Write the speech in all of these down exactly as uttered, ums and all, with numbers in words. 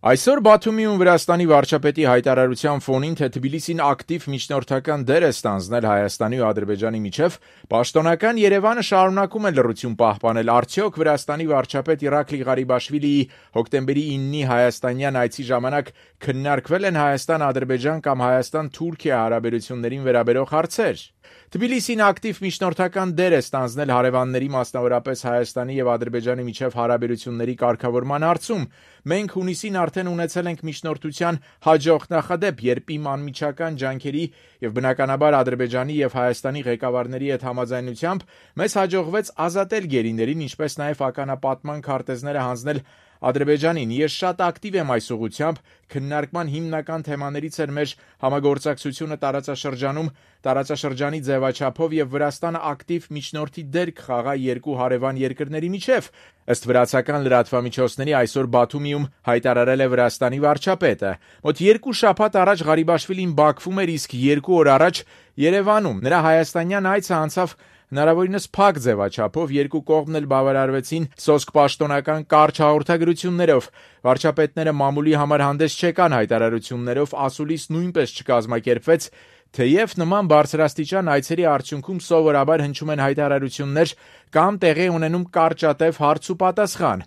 Այսօր Բաթումիում Վրաստանի վարչապետի հայտարարության ֆոնին, թե Թբիլիսին ակտիվ միջնորդական դեր է ստանձնել Հայաստանի ու Ադրբեջանի միջև, պաշտոնական Երևանը շարունակում է լռություն պահպանել. արդյոք Վրաստանի վարչապետ Իրակլի Ղարիբաշվիլիի հոկտեմբերի իննի հայաստանյան այցի ժամանակ քննարկվել են Հայաստան-Ադրբեջան կամ Հայաստան-Թուրքիա հարաբերություններին վերաբերող հարցեր։ Թբիլիսին ակտիվ միջնորդական դեր է ստանձնել հարևանների, մասնավորապես Հայաստանի եւ Ադրբեջանի միջև հարաբերությունների կարգավորման հարցում։ Մենք հունիսին արդեն ունեցել ենք միջնորդության հաջող նախադեպ, երբ իմ անմիջական ջանքերի եւ բնականաբար Ադրբեջանի եւ Հայաստանի ղեկավարների հետ համաձայնությամբ մեզ հաջողվեց ազատել գերիներին, ինչպես նաեւ ականապատման քարտեզները հանձնել Ադրբեջանին։ Ես շատ ակտիվ եմ այս ուղղությամբ։ Քննարկման հիմնական թեմաներից էր մեր համագործակցությունը տարածաշրջանում, տարածաշրջանի ձևաչափով եւ Վրաստանը ակտիվ միջնորդի դեր կխաղա երկու հարևան երկրների միջև, ըստ վրացական լրատվամիջոցների այսօր Բաթումիում հայտարարել է Վրաստանի վարչապետը։ Մոտ երկու շաբաթ առաջ Ղարիբաշվիլին Բաքվում էր, իսկ երկու օր առաջ Երևանում։ Նրա հայաստանյան այցը անցավ հնարավորինս փակ ձևաչափով, երկու կողմն էլ բավարարվեցին սոսկ պաշտոնական կարճ հաղորդագրություններով։ Վարչապետները մամուլի համար հանդես չեկան հայտարարություններով, ասուլիս նույնպես չկազմակերպվեց, թեև նման բարձրաստիճան այցերի արդյունքում սովորաբար հնչում են հայտարարություններ կամ տեղի ունենում կարճատև հարց ու պատասխան։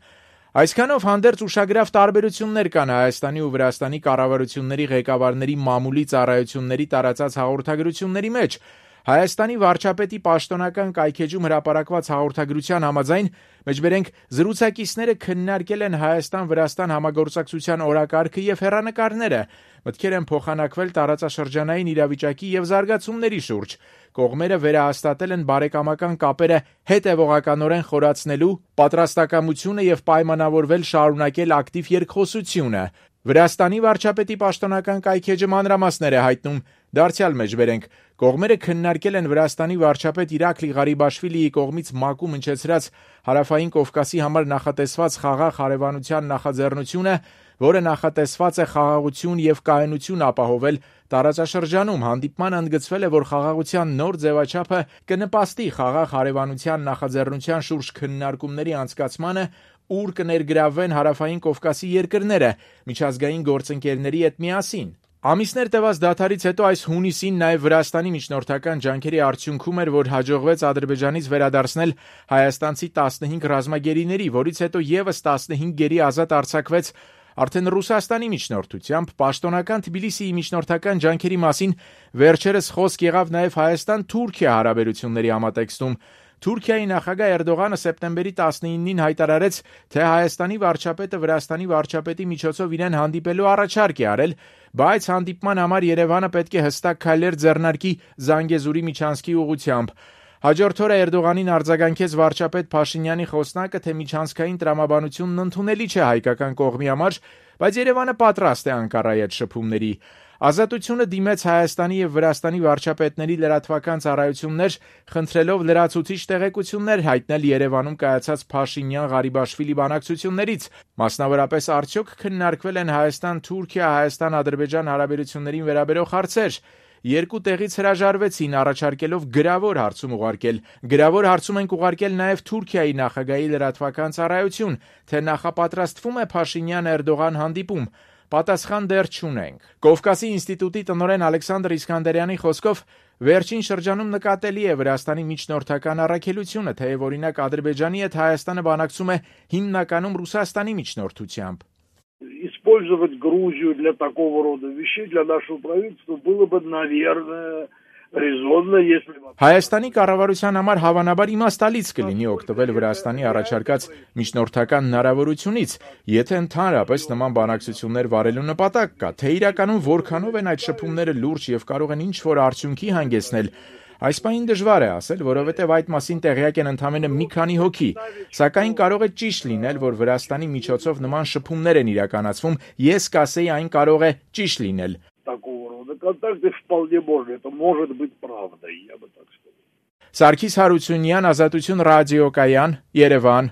Այսքանով հանդերձ ուշագրավ տարբերություններ կան Հայաստանի ու Վրաստանի կառավարությունների ղեկավարների մամուլի ծառայությունների տարածած հաղորդագրությունների մեջ։ Հայաստանի վարչապետի պաշտոնական կայքեջում հրապարակված հաղորդագրության համաձայն, մեջբերենք զրուցակիցները քննարկել են Հայաստան-Վրաստան համագործակցության օրակարգը եւ հեռանկարները, մտքեր են փոխանակվել տարածաշրջանային իրավիճակի եւ զարգացումների շուրջ։ Կողմերը վերահաստատել են բարեկամական կապերը հետևողականորեն խորացնելու պատրաստակամությունը եւ պայմանավորվել շարունակել ակտիվ երկխոսությունը։ Վրաստանի վարչապետի պաշտոնական կայքեջը մանրամասներ է հայտնում, դարձյալ մեջբերենք կողմերը քննարկել են Վրաստանի վարչապետ Իրակլի Ղարիբաշվիլիի կողմից ՄԱԿ-ում ընչեցրած Հարավային Կովկասի համար նախատեսված խաղաղ հարևանության նախաձեռնությունը, որը նախատեսված է խաղաղություն եւ կայունություն ապահովել տարածաշրջանում։ Հանդիպմանը ընդգծվել է, որ խաղաղության նոր ձևաչափը կնպաստի խաղաղ հարևանության նախաձեռնության շուրջ քննարկումների անցկացմանը, ուր կներգրավվեն Հարավային Կովկասի երկրները միջազգային գործընկերների հետ միասին։ Ամիսներ տևած դադարից հետո այս հունիսին նաև Վրաստանի միջնորդական ջանքերի արդյունքում էր, որ հաջողվեց Ադրբեջանից վերադարձնել հայաստանցի տասնհինգ ռազմագերիների, որից հետո եւս տասնհինգ գերի ազատ արձակվեց արդեն Ռուսաստանի միջնորդությամբ։ Պաշտոնական Թբիլիսիի միջնորդական ջանքերի մասին վերջերս խոսք եղավ նաև Հայաստան-Թուրքիա հարաբերությունների համատեքստում։ Թուրքիայի նախագահ Էրդողանը սեպտեմբերի տասնինին հայտարարեց, թե Հայաստանի վարչապետը Վրաստանի վարչապետի միջոցով իրեն հանդիպելու առաջարկ է արել, բայց հանդիպման համար Երևանը պետք է հստակ քայլեր ձեռնարկի Զանգեզուրի միջանցքի ուղղությամբ։ Հաջորդ օրը Էրդողանին արձագանքեց վարչապետ Փաշինյանի խոսնակը, թե միջանցքային տրամաբանությունն ընդունելի չէ հայկական կողմի համար, բայց Երևանը պատրաստ է Անկարայի հետ շփումների։ Ազատությունը դիմեց Հայաստանի եւ Վրաստանի վարչապետների լրատվական ծառայություններ, խնդրելով լրացուցիչ տեղեկություններ հայտնել Երևանում կայացած Փաշինյան-Ղարիբաշվիլի բանակցություններից։ Մասնավորապես, արդյոք քննարկվել են Հայաստան-Թուրքիա, Հայաստան-Ադրբեջան հարաբերություններին վերաբերող հարցեր։ Երկու տեղից հրաժարվեցին, առաջարկելով գրավոր հարցում ուղարկել։ Գրավոր հարցում ենք ուղարկել նաև Թուրքիայի նախագահի լրատվական ծառայություն, թե նախապատրաստվում է Փաշինյան-Էրդողան հանդիպում։ Պատասխան դեռ չունենք։ Կովկասի ինստիտուտի տնօրեն Ալեքսանդր Իսկանդարյանի խոսքով վերջին շրջանում նկատելի է Վրաստանի միջնորդական առաքելությունը, թեև օրինակ Ադրբեջանի հետ Հայաստանը բանակցում է հիմնականում Ռուսաստանի միջնորդությամբ։ Использовать Грузию для такого рода вещей для нашего правительства было бы, наверное, резонно, если... Հայաստանի կառավարության համար հավանաբար իմաստալից կլինի օգտվել Վրաստանի առաջարկած միջնորդական հնարավորությունից, եթե ընդհանրապես նման բանակցություններ վարելու նպատակ կա, թե իրականում որքանով են այդ շփումները լուրջ եւ կարող են ինչ-որ արդյունքի հանգեցնել։ Այս պահին դժվար է ասել, որովհետև այդ մասին տեղյակ են ընդամենը մի քանի հոգի, սակայն կարող է ճիշտ լինել, որ Վրաստանի միջոցով նման շփումներ են իրականացվում, ես կասեի այն կարող է ճիշտ լինել։ Контакты вполне можно, это может быть правдой, я бы так сказал. Սարգիս Հարությունյան, Ազատություն ռադիոկայան, Երևան։